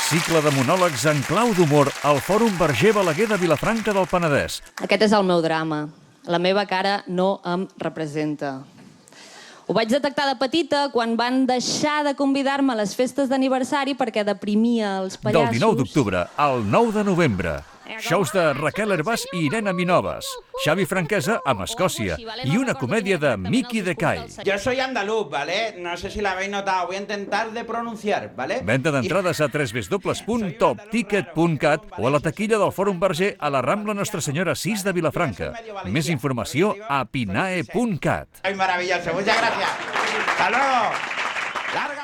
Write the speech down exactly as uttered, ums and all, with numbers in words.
Cicle de monòlegs en clau d'humor al Fòrum Verger Balaguer de Vilafranca del Penedès. Aquest és el meu drama. La meva cara no em representa. Ho vaig detectar de petita quan van deixar de convidar-me a les festes d'aniversari perquè deprimia els pallassos. Del dinou d'octubre al nou de novembre. Shows de Raquel Hervás i Irene Minoves, Xavi Franquesa amb Escòcia i una comèdia de Miki de Kai. Yo soy andaluz, ¿vale? No sé si la habéis notado, voy a intentar de pronunciar, ¿vale? Venda d'entrades a w w w punt top ticket punt cat o a la taquilla del Fòrum Verger a la Rambla Nostra Senyora sis de Vilafranca. Més informació a pinae punt cat. Ay, maravilloso, muchas gracias. Hasta luego. Larga